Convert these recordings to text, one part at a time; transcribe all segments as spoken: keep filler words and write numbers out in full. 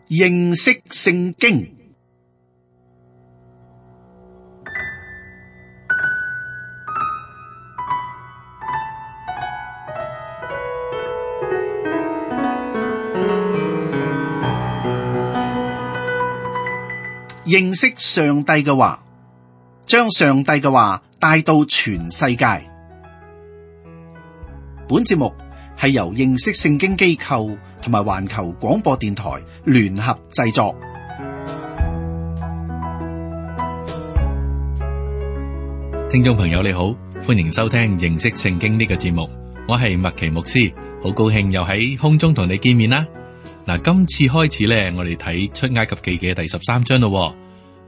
認識聖經。認識上帝嘅話，將上帝嘅話帶到全世界。本節目係由認識聖經機構同埋環球廣播電台聯合製作。聽眾朋友你好，歡迎收聽認識聖經呢個節目，我係麥奇牧師，好高興又喺空中同你見面啦。嗱，今次開始咧，我哋睇出埃及記嘅第十三章咯。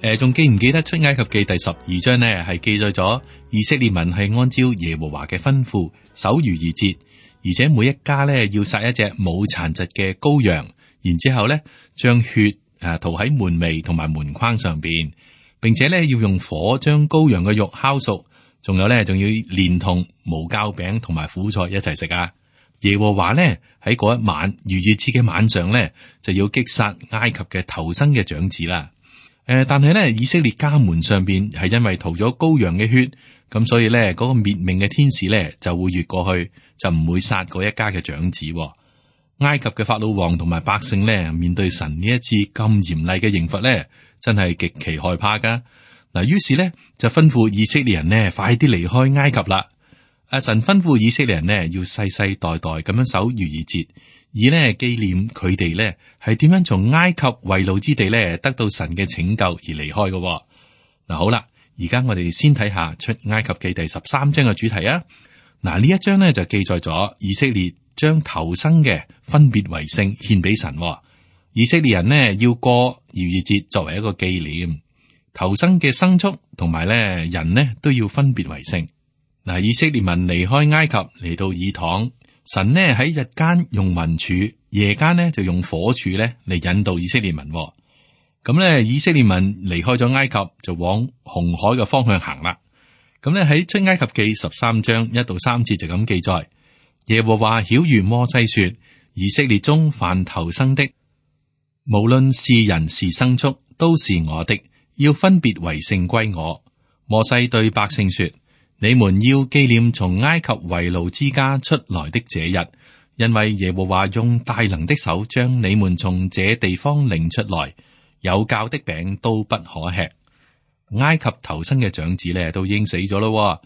誒，仲記唔記得出埃及記第十二章呢？係記載咗以色列民係按照耶和華嘅吩咐守逾越節，而且每一家咧要殺一隻冇殘疾嘅羔羊，然之後咧將血誒塗喺門楣同埋門框上邊，並且咧要用火將羔羊嘅肉烤熟，仲有咧仲要連同無酵餅同埋苦菜一齊食啊！耶和華咧喺嗰一晚逾越節嘅晚上咧，就要擊殺埃及嘅頭生嘅長子啦。誒、呃，但係咧以色列家門上邊係因為塗咗羔羊嘅血，咁所以咧嗰、那個滅命嘅天使咧就會越過去，就唔會殺嗰一家嘅長子。埃及嘅法老王同埋百姓咧面對神呢一次咁嚴厲嘅刑罰咧，真係極其害怕噶。嗱，於是咧就吩咐以色列人呢快啲離開埃及啦。阿神吩咐以色列人呢，要世世代代咁樣守逾越節，以呢紀念佢哋呢係點樣從埃及為奴之地呢得到神嘅拯救而離開嘅。嗱，好啦，而家我哋先睇下出埃及記第十三章嘅主題啊。嗱，呢一章呢就記載咗以色列將頭生嘅分別為聖獻俾神。以色列人呢要過逾越節作為一個紀念，頭生嘅牲畜同埋呢人呢都要分別為聖。嗱，以色列民離開埃及嚟到以躺，神呢喺日間用雲柱，夜間呢就用火柱咧嚟引導以色列民。咁咧，以色列民離開咗埃及，就往紅海嘅方向行啦。咁咧喺出埃及記十三章一到三節就咁記載：耶和華曉諭摩西說，以色列中凡頭生的，無論是人是牲畜，都是我的，要分別為聖歸我。摩西對百姓說：你們要紀念從埃及為奴之家出來的這日，因為耶和華用大能的手將你們從這地方領出來，有酵的餅都不可吃。埃及頭生嘅長子呢都已經死咗咯。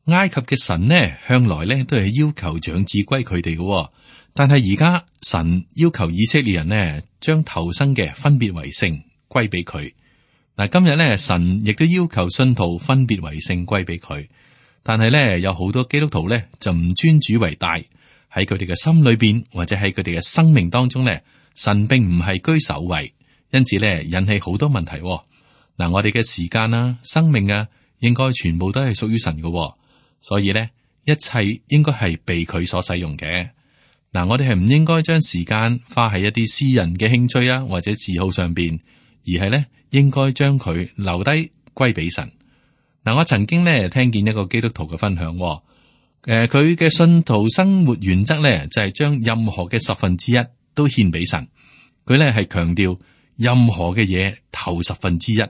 埃及嘅神呢向來呢都係要求長子歸佢哋嘅，但係而家神要求以色列人呢將頭生嘅分別為聖歸俾佢。嗱，今日呢神亦都要求信徒分別為聖歸俾佢。但係咧，有好多基督徒咧就唔尊主為大，喺佢哋嘅心裏邊或者喺佢哋嘅生命當中咧，神並唔係居首位，因此咧引起好多問題。嗱，我哋嘅時間啊、生命啊，應該全部都係屬於神嘅，所以咧一切應該係被佢所使用嘅。嗱，我哋係唔應該將時間花喺一啲私人嘅興趣啊或者嗜好上邊，而係咧應該將佢留低歸俾神。嗱，我曾經咧聽見一個基督徒嘅分享，誒、呃，佢嘅信徒生活原則咧就係、是、將任何嘅十分之一都獻俾神。佢咧係強調任何嘅嘢頭十分之一，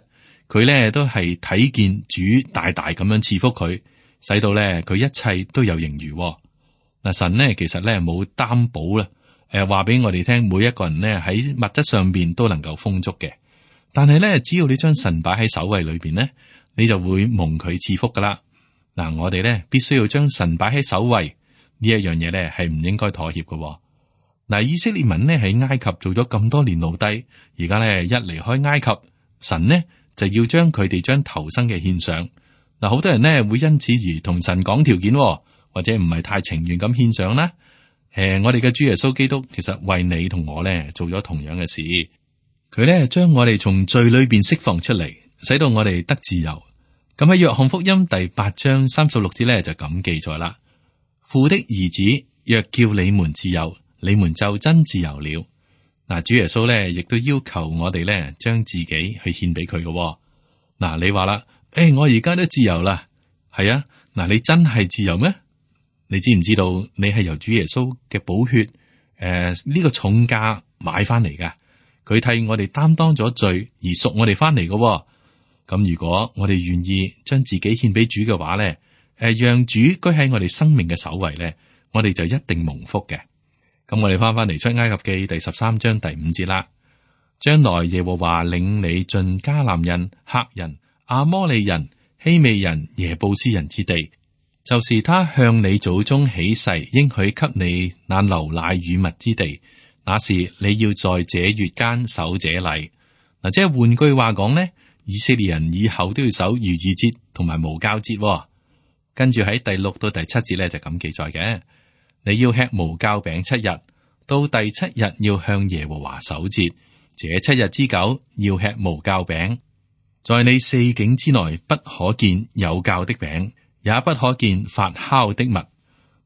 佢咧都係睇見主大大咁樣賜福佢，使到咧佢一切都有盈餘。嗱，神咧其實咧冇擔保啦，誒，話俾我哋聽，每一個人咧喺物質上邊都能夠豐足嘅，但係咧只要你將神擺喺首位裏邊咧，你就會蒙佢賜福噶啦。嗱，我哋咧必須要將神擺喺首位，呢一樣嘢咧係唔應該妥協嘅。嗱，以色列民呢喺埃及做咗咁多年奴隸，而家咧一離開埃及，神呢就要將佢哋將頭生嘅獻上。嗱，好多人呢會因此而同神講條件，或者唔係太情願咁獻上啦。誒、呃，我哋嘅主耶穌基督其實為你同我咧做咗同樣嘅事，佢咧將我哋從罪裏邊釋放出嚟，使到我哋得自由。咁喺約翰福音第八章三十六節咧就咁記載啦：父的兒子若叫你們自由，你們就真自由了。嗱，主耶穌咧亦都要求我哋咧將自己去獻俾佢嘅。嗱，你話啦，誒、哎，我而家都自由啦，係啊，嗱，你真係自由咩？你知唔知道你係由主耶穌嘅寶血誒呢、呃這個重價買翻嚟噶？佢替我哋擔當咗罪而贖我哋翻嚟嘅。咁如果我哋願意將自己獻俾主嘅話咧，誒，讓主居喺我哋生命嘅首位咧，我哋就一定蒙福嘅。咁我哋翻翻嚟出埃及記第十三章第五節啦。將來耶和華領你進迦南人、赫人、阿摩利人、希未人、耶布斯人之地，就是他向你祖宗起誓應許給你那流奶與蜜之地。那時你要在這月間守這例。嗱，即係換句話講呢，以色列人以後都要守逾越節同埋無酵節。跟住喺第六到第七節咧就咁記載嘅，你要吃無酵餅七日，到第七日要向耶和華守節。這七日之久要吃無酵餅，在你四境之內不可見有酵的餅，也不可見發酵的物。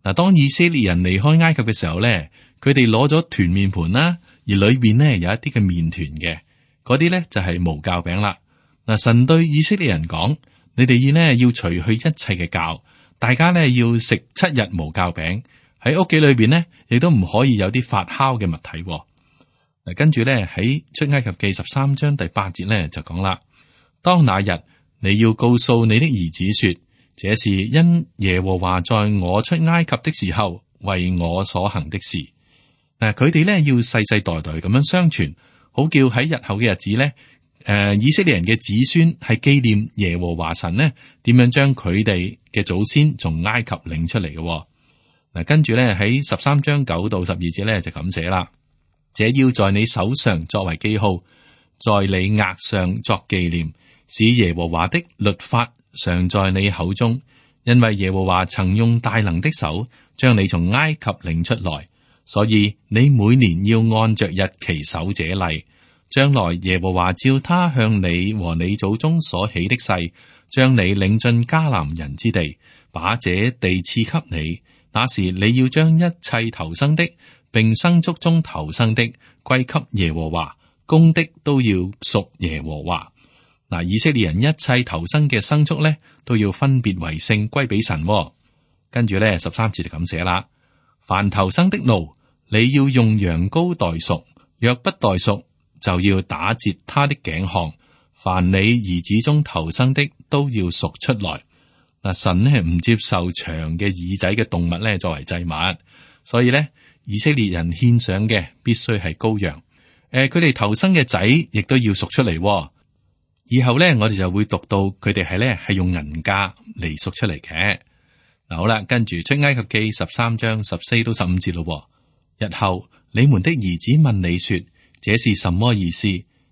嗱，當以色列人離開埃及嘅時候咧，佢哋攞咗團麵盤啦，而裏邊呢有一啲嘅麵團嘅，嗰啲咧就係無酵餅啦。嗱，神對以色列人講：你哋呢要除去一切嘅酵，大家呢要食七日無酵餅，喺屋企裏邊呢亦都唔可以有啲發酵嘅物體。嗱，跟住咧喺出埃及記十三章第八節咧就講啦：當那日你要告訴你的兒子說，這是因耶和華在我出埃及的時候為我所行的事。嗱，佢哋咧要世世代代咁樣相傳，好叫喺日後嘅日子咧，誒，以色列人嘅子孫係紀念耶和華神呢點樣將佢哋嘅祖先從埃及領出嚟嘅。嗱，跟住咧喺十三章九到十二節咧就咁寫啦：這要在你手上作為記號，在你額上作紀念，使耶和華的律法常在你口中，因為耶和華曾用大能的手將你從埃及領出來，所以你每年要按着日期守這例。將來耶和華照他向你和你祖宗所起的誓，將你領進迦南人之地，把這地賜給你。那時你要將一切頭生的，並牲畜中頭生的歸給耶和華，公的都要屬耶和華。嗱，以色列人一切頭生嘅牲畜咧，都要分別為聖歸俾神。跟住咧，十三節就咁寫啦：凡頭生的驢，你要用羊羔代贖；若不代贖，就要打折他的頸項。凡你兒子中頭生的，都要贖出來。嗱，神呢唔接受長嘅耳仔嘅動物咧作為祭物，所以咧以色列人獻上嘅必須係羔羊。誒、呃，佢哋頭生嘅仔亦都要贖出嚟。以後咧，我哋就會讀到佢哋係咧係用銀價嚟贖出嚟嘅。嗱，好啦，跟住出埃及記十三章十四到十五節咯。日後你們的兒子問你說：這是什麼意思？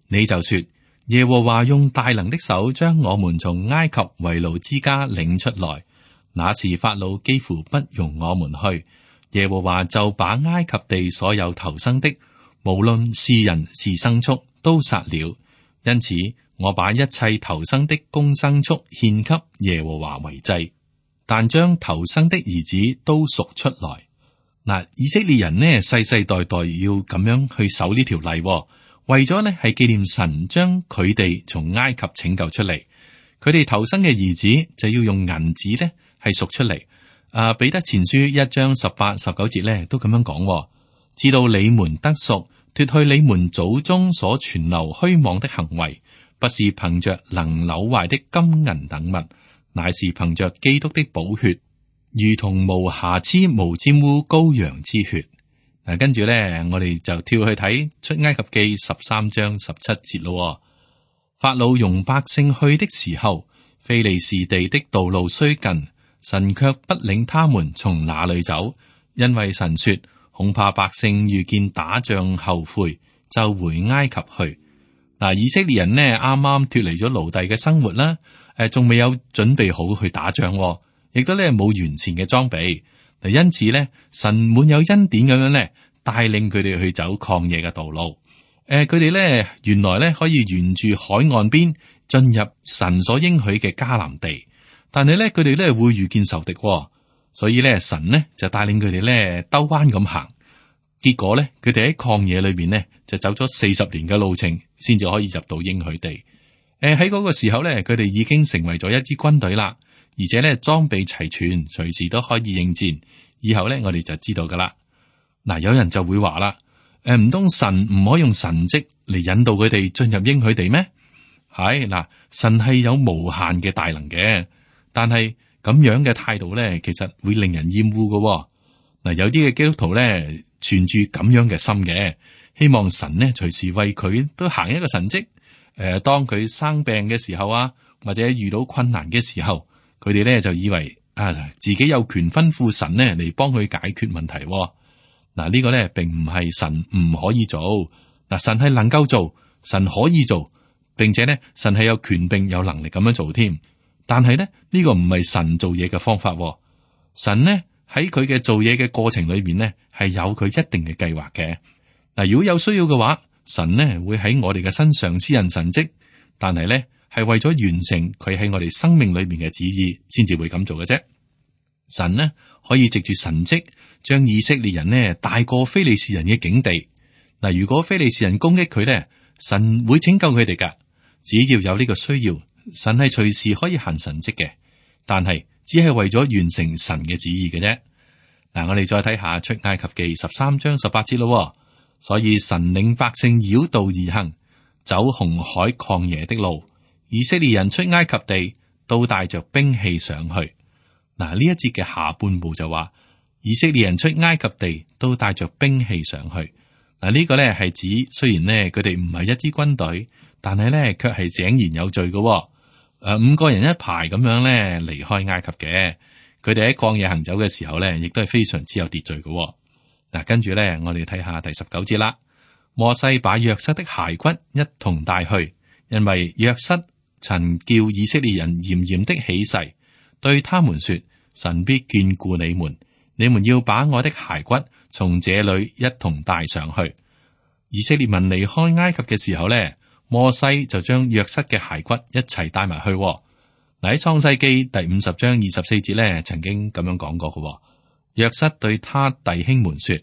你就說：耶和華用大能的手將我們從埃及為奴之家領出來，那時法老幾乎不容我們去，耶和華就把埃及地所有頭生的，無論是人是牲畜，都殺了。因此我把一切頭生的公牲畜獻給耶和華為祭，但將頭生的兒子都贖出來。嗱，以色列人呢世世代代要咁樣去守呢條例，為咗呢係紀念神將佢哋從埃及拯救出嚟。佢哋頭生嘅兒子就要用銀子呢係贖出嚟。啊，彼得前書一章十八十九節呢都咁樣講：知道你們得贖，脫去你們祖宗所存留虛妄的行為，不是憑着能朽壞的金銀等物，乃是憑着基督的寶血，如同無瑕疵無沾污羔羊之血。嗱、啊，跟住咧，我哋就跳去睇出埃及記十三章十七節咯。法老容百姓去的時候，非利士地的道路雖近，神卻不領他們從那裏走，因為神說恐怕百姓遇見打仗後悔，就回埃及去。嗱，以色列人呢啱啱脫離咗奴隸嘅生活啦，誒，仲未有準備好去打仗，亦都咧冇完善嘅裝備。嗱，因此咧，神滿有恩典咁樣咧，帶領佢哋去走曠野嘅道路。誒，佢哋咧原來咧可以沿住海岸邊進入神所應許嘅迦南地，但係咧佢哋咧會遇見仇敵，所以咧神呢就帶領佢哋咧兜彎咁行。結果咧，佢哋喺曠野裏邊呢，就走咗四十年嘅路程，先至可以入到應許地。誒、呃，喺嗰個時候咧，佢哋已經成為咗一支軍隊啦，而且咧裝備齊全，隨時都可以應戰。以後咧，我哋就知道噶啦。嗱，有人就會話啦，誒、誒，唔通神唔可以用神蹟嚟引導佢哋進入應許地咩？係嗱，神係有無限嘅大能嘅，但係咁樣嘅態度咧，其實會令人厭惡嘅。嗱，有啲嘅基督徒咧，存住咁樣嘅心嘅，希望神呢隨時為佢都行一個神蹟。誒、呃，當佢生病嘅時候啊，或者遇到困難嘅時候，佢哋咧就以為啊，自己有權吩咐神呢嚟幫佢解決問題。嗱，呢個咧並唔係神唔可以做，嗱，神係能夠做，神可以做，並且咧神係有權並有能力咁樣做添。但係咧呢個唔係神做嘢嘅方法。神呢喺佢嘅做嘢嘅過程裏面呢係有佢一定嘅計劃嘅。嗱，如果有需要嘅話，神呢會喺我哋嘅身上施行神蹟，但係咧係為咗完成佢喺我哋生命裏面嘅旨意，先至會咁做嘅啫。神呢可以藉住神蹟將以色列人呢帶過非利士人嘅境地。嗱，如果非利士人攻擊佢咧，神會拯救佢哋噶。只要有呢個需要，神係隨時可以行神蹟嘅，但係只係為咗完成神嘅旨意嘅啫。嗱，我哋再睇下出埃及記十三章十八節咯。所以神領百姓繞道而行，走紅海曠野的路。以色列人出埃及地，都帶着兵器上去。嗱，呢一節嘅下半部就話，以色列人出埃及地都帶着兵器上去。嗱，呢個咧係指雖然咧佢哋唔係一支軍隊，但係咧卻係井然有序嘅。誒，五個人一排咁樣咧離開埃及嘅，佢哋喺曠野行走嘅時候咧，亦都係非常之有秩序嘅。嗱，跟住咧，我哋睇下第十九節啦。摩西把約瑟的骸骨一同帶去，因為約瑟曾叫以色列人嚴嚴的起誓，對他們說：神必眷顧你們，你們要把我的骸骨從這裏一同帶上去。以色列民離開埃及嘅時候咧，摩西就將約瑟嘅骸骨一齊帶埋去。嗱，喺創世記第五十章二十四節咧，曾經咁樣講過嘅。約瑟對他弟兄們說：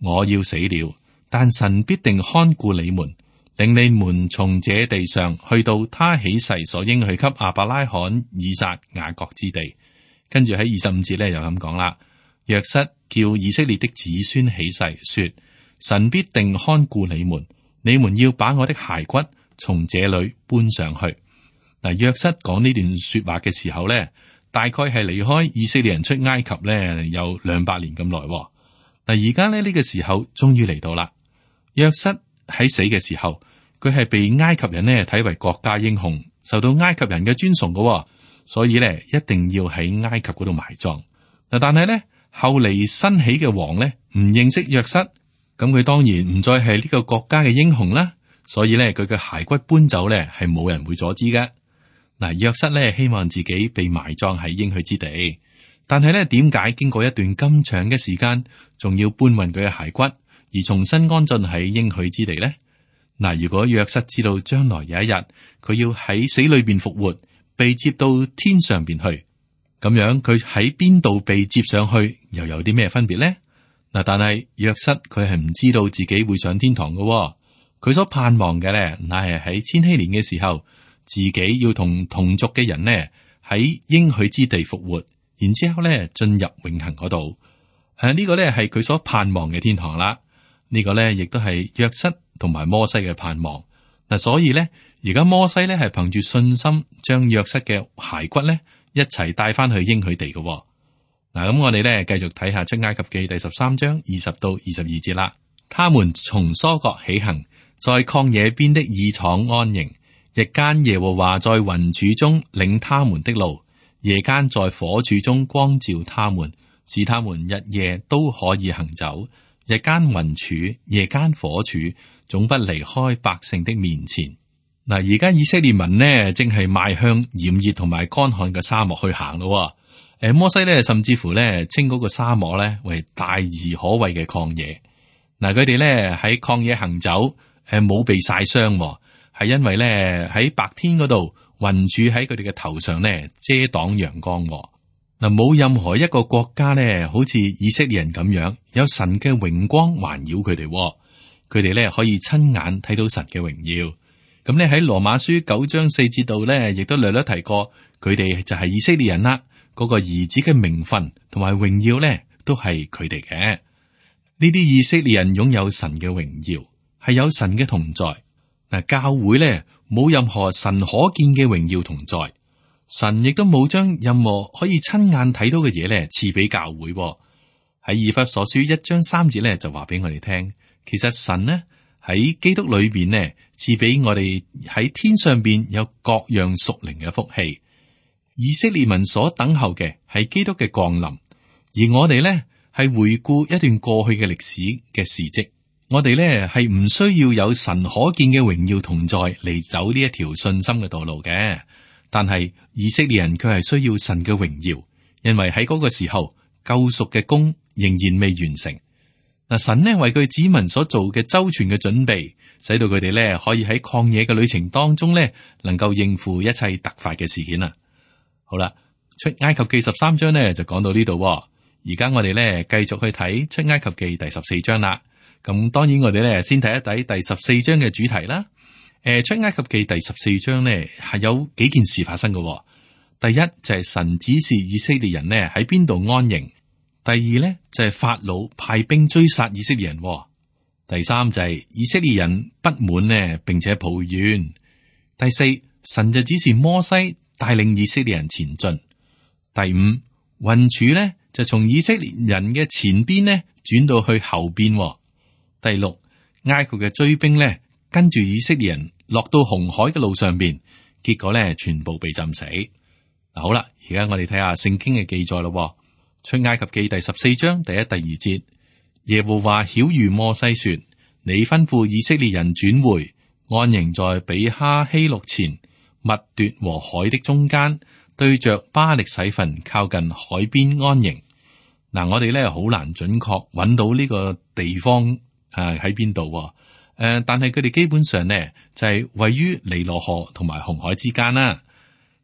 我要死了，但神必定看顧你們，令你們從這地上去到他起誓所應許給亞伯拉罕、以撒、雅各之地。跟住喺二十五節咧又咁講啦。約瑟叫以色列的子孫起誓說：神必定看顧你們，你們要把我的骸骨從這裏搬上去。嗱，約瑟講呢段說話嘅時候咧，大概係離開以色列人出埃及咧有兩百年咁耐。嗱，而家咧呢個時候終於嚟到啦。約瑟喺死嘅時候，佢係被埃及人呢睇為國家英雄，受到埃及人嘅尊崇嘅，所以咧一定要喺埃及嗰度埋葬。嗱，但係咧後嚟新起嘅王咧唔認識約瑟，咁佢當然唔再係呢個國家嘅英雄啦。所以咧佢嘅骸骨搬走咧係冇人會阻止嘅。嗱，約瑟咧希望自己被埋葬喺應許之地，但係咧點解經過一段咁長嘅時間，仲要搬運佢嘅骸骨而重新安進喺應許之地呢？嗱，如果約瑟知道將來有一日佢要喺死裏邊復活，被接到天上邊去，咁樣佢喺邊度被接上去，又有啲咩分別呢？嗱，但係約瑟佢係唔知道自己會上天堂嘅，佢所盼望嘅咧，乃係喺千禧年嘅時候。自己要同同族嘅人呢喺應許之地復活，然之後咧進入永恆嗰度。誒、啊，呢、這個咧係佢所盼望嘅天堂啦。呢、這個咧亦都係約瑟同埋摩西嘅盼望。嗱、啊，所以咧而家摩西咧係憑住信心將約瑟嘅骸骨咧一齊帶翻去應許地嘅。嗱、啊，咁我哋咧繼續睇下出埃及記第十三章二十到二十二節啦。他們從疏割起行，在曠野邊的以廠安營。日間耶和華在雲柱中領他們的路，夜間在火柱中光照他們，使他們日夜都可以行走。日間雲柱，夜間火柱，總不離開百姓的面前。嗱，而家以色列民呢，正係邁向炎熱同埋乾旱嘅沙漠去行咯。誒，摩西呢，甚至乎呢，稱嗰個沙漠呢為大而可畏嘅曠野。嗱，佢哋呢喺曠野行走，誒，冇被曬傷。係因為咧喺白天嗰度雲柱喺佢哋嘅頭上咧遮擋陽光。嗱，冇任何一個國家咧好似以色列人咁樣有神嘅榮光環繞佢哋，佢哋咧可以親眼睇到神嘅榮耀。咁咧喺羅馬書九章四節度咧亦都略略提過，佢哋就係以色列人啦。嗰個兒子嘅名分同埋榮耀咧都係佢哋嘅。呢啲以色列人擁有神嘅榮耀，係有神嘅同在。嗱，教會咧冇任何神可見嘅榮耀同在，神亦都冇將任何可以親眼睇到嘅嘢咧賜俾教會。喺以弗所書一章三節咧就話俾我哋聽，其實神呢喺基督裏邊呢賜俾我哋喺天上邊有各樣屬靈嘅福氣。以色列民所等候嘅係基督嘅降臨，而我哋呢係回顧一段過去嘅歷史嘅事跡。我哋呢係唔需要有神可見嘅榮耀同在嚟走呢一條信心嘅道路嘅，但係以色列人卻係需要神嘅榮耀，因為喺嗰個時候救贖嘅功仍然未完成。嗱，神呢為佢子民所做嘅周全嘅準備，使到佢哋呢可以喺曠野嘅旅程當中呢能夠應付一切突發嘅事件啊！好啦，出埃及記十三章呢就講到呢度，而家我哋呢繼續去睇出埃及記第十四章啦。咁當然我哋呢先睇一睇第十四章嘅主題啦。誒，出埃及記第十四章呢係有幾件事發生嘅。第一就係神指示以色列人呢喺邊度安營。第二呢就係法老派兵追殺以色列人。第三就係以色列人不滿呢，並且抱怨。第四，神就指示摩西帶領以色列人前進。第五，雲柱呢就從以色列人嘅前邊呢轉到去後邊。第六，埃及嘅追兵呢跟住以色列人落到紅海嘅路上邊，結果呢全部被浸死。嗱，好啦，而家我哋睇下聖經嘅記載咯。出埃及記第十四章第一、第二節，耶和華曉諭摩西說：你吩咐以色列人轉回，安營在比哈希錄前，密奪和海的中間，對着巴力洗分，靠近海邊安營。嗱，我哋咧好難準確揾到呢個地方啊喺邊度。誒、呃，但係佢哋基本上呢就係、是、位於尼羅河同埋紅海之間啦。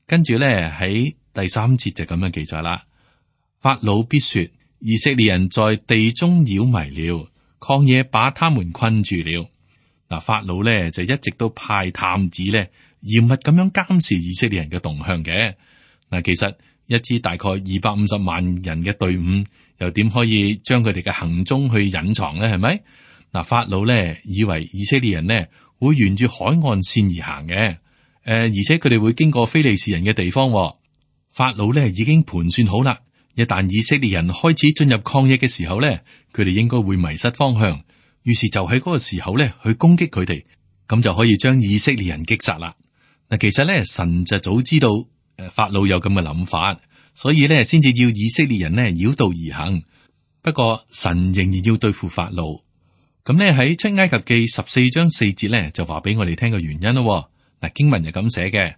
跟住咧喺第三節就咁樣記載啦。法老必說：以色列人在地中擾迷了，曠野把他們困住了。嗱，法老咧就一直都派探子咧嚴密咁樣監視以色列人嘅動向嘅。嗱，其實一支大概二百五十萬人嘅隊伍，又點可以將佢哋嘅行蹤去隱藏咧？係咪？嗱，法老咧以為以色列人呢會沿住海岸線而行嘅，誒，而且佢哋會經過非利士人嘅地方。法老咧已經盤算好啦。一旦以色列人開始進入曠野嘅時候咧，佢哋應該會迷失方向，於是就喺嗰個時候咧去攻擊佢哋，咁就可以將以色列人擊殺啦。嗱，其實咧神就早知道誒法老有咁嘅諗法，所以咧先至要以色列人呢繞道而行。不過神仍然要對付法老。咁咧喺出埃及記十四章四節咧就話俾我哋聽個原因咯。嗱，經文就咁寫嘅：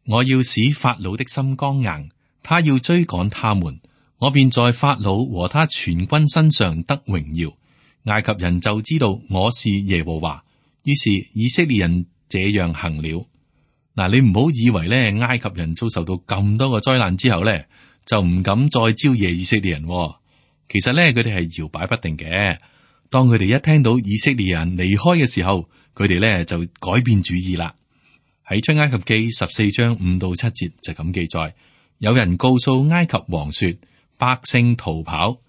我要使法老的心剛硬，他要追趕他們。我便在法老和他全軍身上得榮耀，埃及人就知道我是耶和華。於是以色列人這樣行了。嗱，你唔好以為咧，埃及人遭受到咁多個災難之後咧，就唔敢再招惹以色列人。其實咧，佢哋係搖擺不定嘅。當佢哋一聽到以色列人離開嘅時候，佢哋咧就改變主意啦。喺出埃及記十四章五到七節就咁記載，有人告訴埃及王說：百姓逃跑，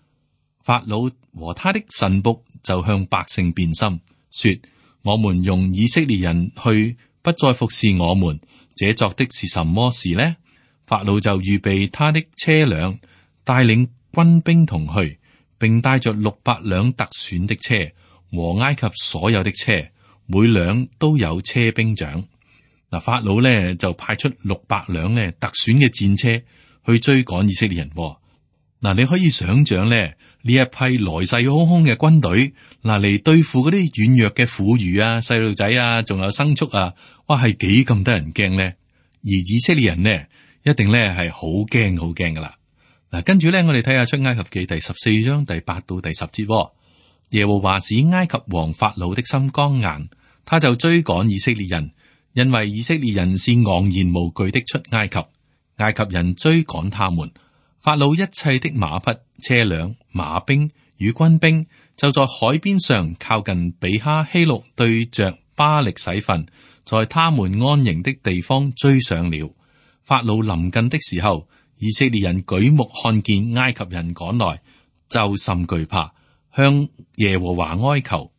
法老和他的臣僕就向百姓變心，說：我們用以色列人去，不再服侍我們，這作的是什麼事呢？法老就預備他的車輛，帶領軍兵同去，並帶着六百輛特選的車和埃及所有的車，每輛都有車兵長。嗱，法老呢就派出六百輛呢特選嘅戰車去追趕以色列人。嗱，你可以想象咧，呢一批來勢洶洶嘅軍隊，嗱嚟對付嗰啲軟弱嘅婦孺啊、細路仔啊，仲有牲畜啊，哇，係幾咁得人驚咧？而以色列人呢，一定咧係好驚好驚噶啦。嗱，跟住咧，我哋睇下出埃及記第十四章第八到第十節。耶和華使埃及王法老的心剛硬，他就追趕以色列人，因為以色列人是昂然無懼的出埃及，埃及人追趕他們。法老一切的馬匹、車輛、馬兵與軍兵，就在海邊上靠近比哈希錄，對着巴力洗分，在他們安營的地方追上了。法老臨近的時候，以色列人舉目看見埃及人趕來，就甚懼怕，向耶和華哀求。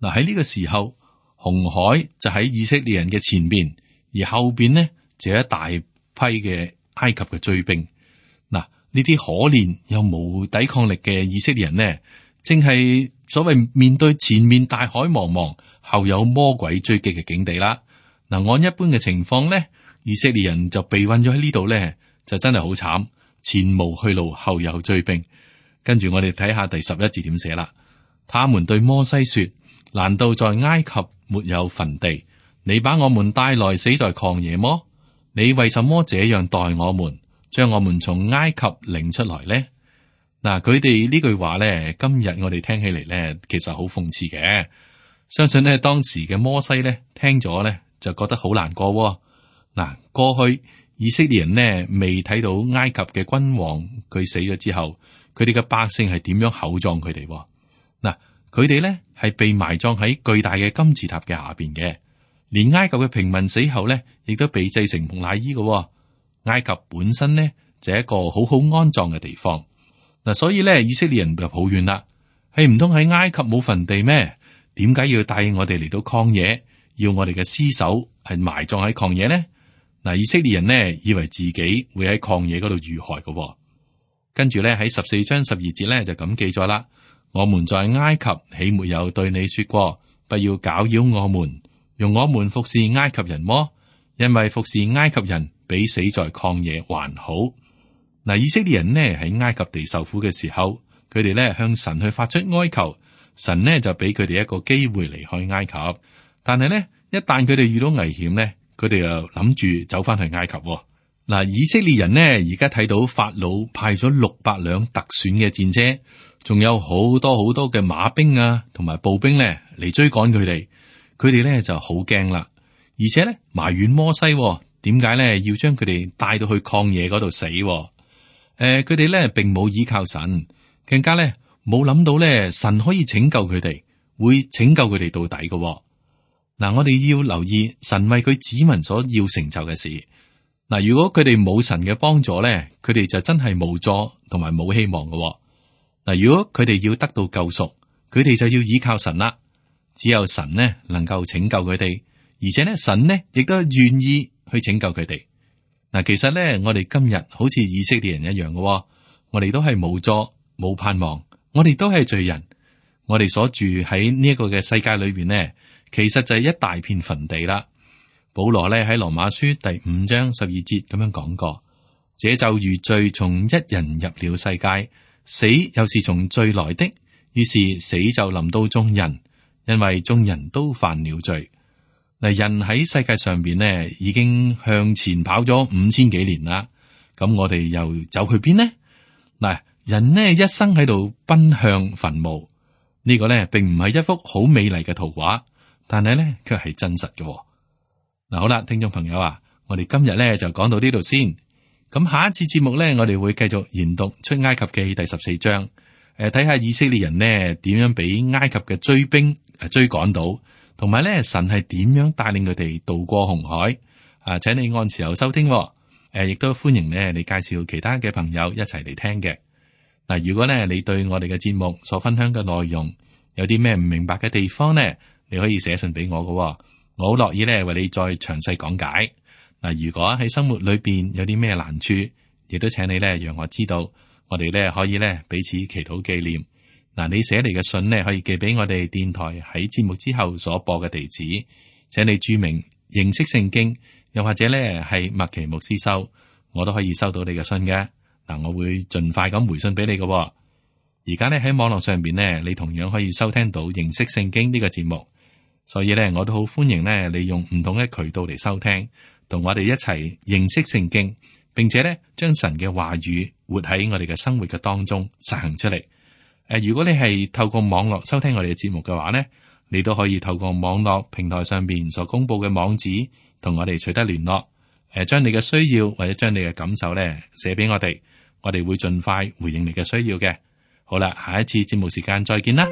嗱，喺呢個時候，紅海就喺以色列人嘅前邊，而後邊呢就有一大批嘅埃及嘅追兵。嗱，呢啲可憐又冇抵抗力嘅以色列人呢，正係所謂面對前面大海茫茫，後有魔鬼追擊嘅境地啦。嗱，按一般嘅情況呢，以色列人就被困咗喺呢度呢，就真係好慘，前無去路，後有追兵。跟住我哋睇下第十一節點寫啦。他們對摩西說：難道在埃及沒有墳地？你把我們帶來死在曠野麼？你為什麼這樣待我們，將我們從埃及領出來呢？嗱，佢哋呢句話咧，今日我哋聽起嚟咧，其實好諷刺嘅。相信咧，當時嘅摩西咧，聽咗咧，就覺得好難過喎。嗱，過去以色列人呢，未睇到埃及嘅君王佢死咗之後，佢哋嘅百姓係點樣厚葬佢哋？嗱，佢哋咧係被埋葬喺巨大嘅金字塔嘅下邊嘅，連埃及嘅平民死後咧，亦都被製成木乃伊嘅。埃及本身呢，就係一個好好安葬嘅地方。嗱，所以咧，以色列人就抱怨啦，係唔通喺埃及冇墳地咩？點解要帶我哋嚟到曠野，要我哋嘅屍首係埋葬喺曠野呢？嗱，以色列人呢，以為自己會喺曠野嗰度遇害嘅。跟住咧，喺十四章十二節咧就咁記載啦。我們在埃及豈沒有對你說過，不要攪擾我們，用我們服侍埃及人麼？因為服侍埃及人比死在曠野還好。嗱，以色列人呢喺埃及地受苦嘅時候，佢哋咧向神去發出哀求，神呢就俾佢哋一個機會離開埃及。但係呢，一旦佢哋遇到危險呢，佢哋又諗住走翻去埃及。嗱，以色列人呢而家睇到法老派咗六百輛特選嘅戰車，仲有好多好多嘅馬兵啊，同埋步兵咧嚟追趕佢哋。佢哋咧就好驚啦，而且咧埋怨摩西，點解咧要將佢哋帶到去曠野嗰度死？誒、呃，佢哋咧並冇依靠神，更加咧冇諗到咧神可以拯救佢哋，會拯救佢哋到底嘅。嗱，我哋要留意神為佢子民所要成就嘅事。嗱，如果佢哋冇神嘅幫助咧，佢哋就真係無助同埋冇希望嘅。嗱，如果佢哋要得到救贖，佢哋就要依靠神啦。只有神呢能夠拯救佢哋，而且呢神呢亦都願意去拯救佢哋。嗱，其實呢我哋今日好似以色列人一樣嘅，我哋都係無助冇盼望，我哋都係罪人。我哋所住喺呢一個嘅世界裏邊呢，其實就係一大片墳地啦。保羅呢喺羅馬書第五章十二節咁樣講過：這就如罪從一人入了世界，死又是從罪來的，於是死就臨到眾人，因為眾人都犯了罪。嗱，人喺世界上邊呢，已經向前跑咗五千幾年啦。咁我哋又走去邊呢？嗱，人呢一生喺度奔向墳墓，呢個呢並唔係一幅好美麗嘅圖畫，但係呢卻係真實嘅。嗱，好啦，聽眾朋友啊，我哋今日呢就講到呢度先。咁下一次節目呢，我哋會繼續研讀出埃及記第十四章，誒，睇下以色列人呢點樣俾埃及嘅追兵誒追趕到，同埋咧神係點樣帶領佢哋渡過紅海。啊，請你按時候收聽，誒，亦都歡迎咧你介紹其他嘅朋友一齊嚟聽嘅。嗱，如果咧你對我哋嘅節目所分享嘅內容有啲咩唔明白嘅地方呢，你可以寫信俾我嘅，我好樂意咧為你再詳細講解。嗱，如果喺生活裏邊有啲咩難處，亦都請你咧讓我知道，我哋咧可以咧彼此祈禱紀念。嗱，你寫嚟嘅信呢，可以寄俾我哋電台喺節目之後所播嘅地址，請你注明認識聖經，又或者咧係麥奇牧師收，我都可以收到你嘅信嘅。嗱，我會盡快咁回信俾你嘅。而家咧喺網絡上邊呢，你同樣可以收聽到認識聖經呢個節目，所以咧我都好歡迎咧你用唔同嘅渠道嚟收聽，同我哋一齊認識聖經，並且咧將神嘅話語活喺我哋嘅生活嘅當中實行出嚟。誒，如果你係透過網絡收聽我哋嘅節目嘅話呢，你都可以透過網絡平台上邊所公布嘅網址，同我哋取得聯絡。誒，將你嘅需要或者將你嘅感受咧寫俾我哋，我哋會盡快回應你嘅需要嘅。好啦，下一次節目時間再見啦，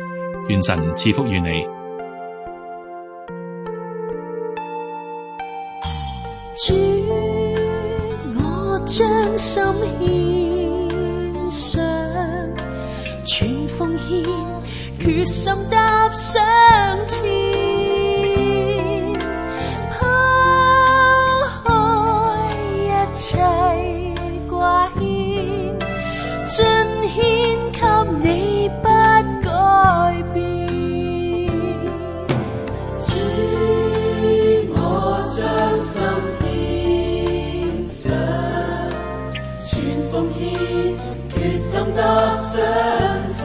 願神賜福於你。主，我將心獻上，全奉獻決心踏上前，拋開一切掛牽，盡獻給你不改變。主，我將心獻上，全奉獻，決心踏上前。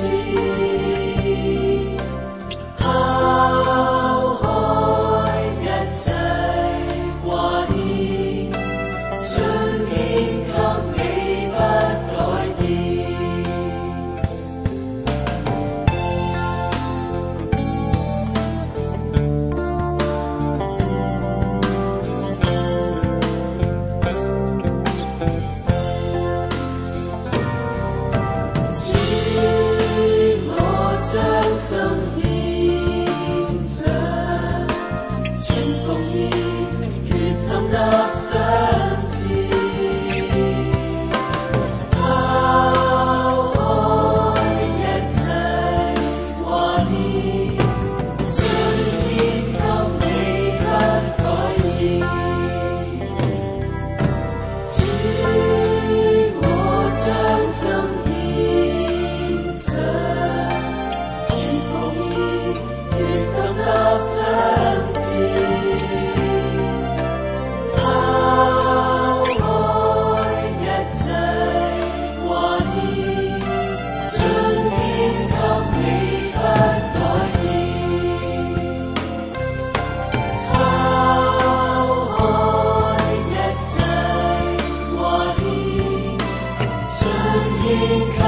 天。